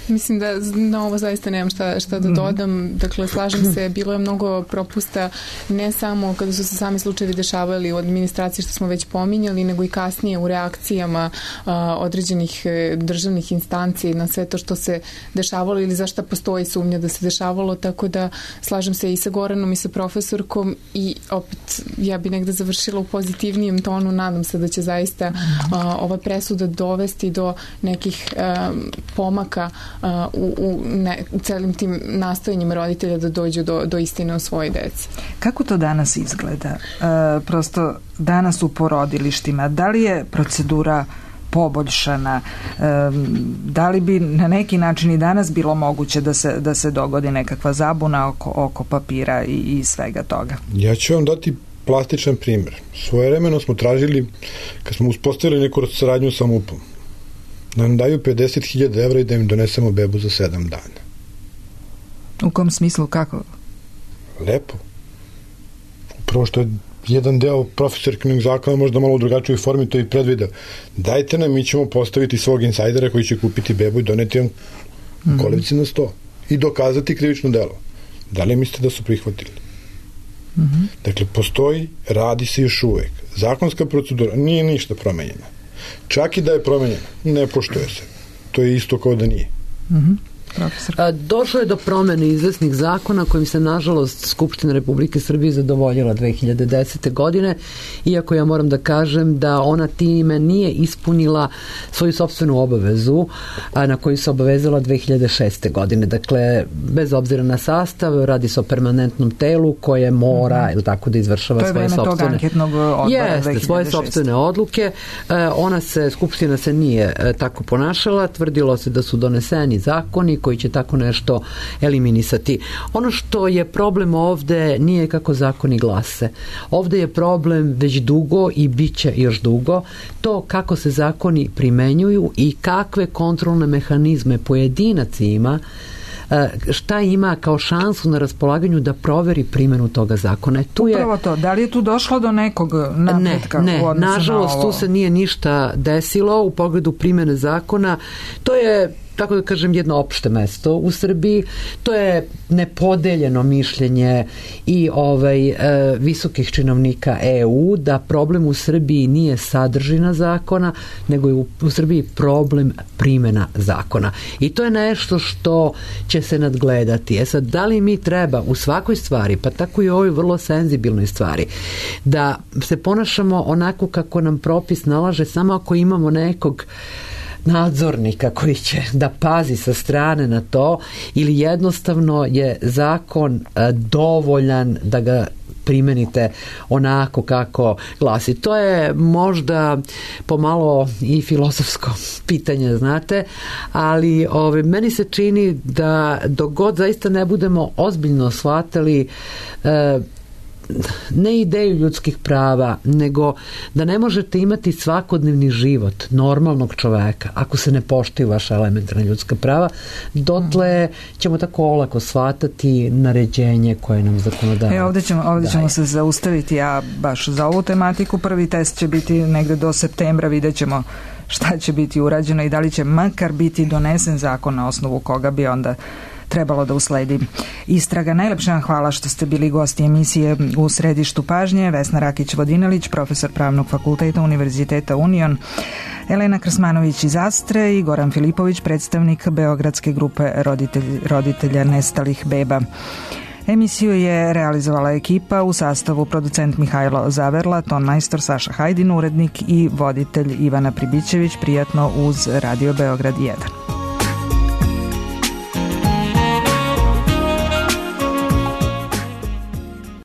Mislim da na ovo zaista nemam šta da dodam. Dakle, slažem se, bilo je mnogo propusta, ne samo kada su se sami slučajevi dešavali u administraciji što smo već pominjali, nego i kasnije u reakcijama određenih državnih instanci na sve to što se dešavalo ili zašto postoji sumnja da se dešavalo, tako da slažem se i sa Goranom i sa profesorkom i opet ja bi negde završila u pozitivnijem tonu, nadam se da će zaista ova presuda dovesti do nekih pomaka u celim tim nastojanjima roditelja da dođu do istine o svojoj deci. Kako to danas izgleda? Prosto danas u porodilištima, da li je procedura poboljšana? Da li bi na neki način i danas bilo moguće da se dogodi nekakva zabuna oko papira i svega toga? Ja ću vam dati plastičan primjer. Svojevremeno smo tražili, kad smo uspostavili neku saradnju sa MUP-om, da nam daju 50.000 evra i da im donesemo bebu za 7 dana. U kom smislu, kako? Lepo. Upravo što je jedan deo profesorkinog zakona možda malo u drugačijoj formi to i predvideo. Dajte nam, mi ćemo postaviti svog insajdera koji će kupiti bebu i doneti vam kolevci na 100 i dokazati krivično delo. Da li mislite da su prihvatili? Dakle, postoji, radi se još uvek. Zakonska procedura nije ništa promenjena. Čak i da je promenjena, ne poštuje se. To je isto kao da nije. Došlo je do promene izvesnih zakona kojim se nažalost Skupština Republike Srbije zadovoljila 2010. godine, iako ja moram da kažem da ona time nije ispunila svoju sopstvenu obavezu na koju se obavezala 2006. godine. Dakle, bez obzira na sastav, radi se o permanentnom telu koje mora ili tako da izvršava svoje sopstvene svoje sopstvene odluke. Skupština se nije tako ponašala, tvrdilo se da su doneseni zakoni koji će tako nešto eliminisati. Ono što je problem ovde nije kako zakoni glase. Ovde je problem već dugo i bit će još dugo to kako se zakoni primenjuju i kakve kontrolne mehanizme pojedinac ima, šta ima kao šansu na raspolaganju da proveri primjenu toga zakona. Upravo to. Da li je tu došlo do nekog napretka? Nažalost, tu se nije ništa desilo u pogledu primjene zakona. To je tako da kažem, jedno opšte mesto u Srbiji. To je nepodeljeno mišljenje i visokih činovnika EU da problem u Srbiji nije sadržina zakona, nego je u Srbiji problem primjena zakona. I to je nešto što će se nadgledati. Sad, da li mi treba u svakoj stvari, pa tako i u ovoj vrlo senzibilnoj stvari, da se ponašamo onako kako nam propis nalaže samo ako imamo nekog nadzornika koji će da pazi sa strane na to, ili jednostavno je zakon dovoljan da ga primenite onako kako glasi. To je možda pomalo i filozofsko pitanje, znate, ali meni se čini da dok god zaista ne budemo ozbiljno shvatali ne ideju ljudskih prava, nego da ne možete imati svakodnevni život normalnog čoveka ako se ne poštuju vaša elementarna ljudska prava, dotle ćemo tako olako shvatati naređenje koje nam zakonodavac. Ovdje ćemo se zaustaviti, a baš za ovu tematiku prvi test će biti negde do septembra, vidjet ćemo šta će biti urađeno i da li će makar biti donesen zakon na osnovu koga bi onda trebalo da usledi istraga. Najlepše vam hvala što ste bili gosti emisije U središtu pažnje. Vesna Rakić-Vodinelić, profesor Pravnog fakulteta Univerziteta Union, Elena Krsmanović iz Astre i Goran Filipović, predstavnik Beogradske grupe roditelja nestalih beba. Emisiju je realizovala ekipa u sastavu producent Mihajlo Zaverla, tonmajstor Saša Hajdin, urednik i voditelj Ivana Pribićević. Prijatno uz Radio Beograd 1.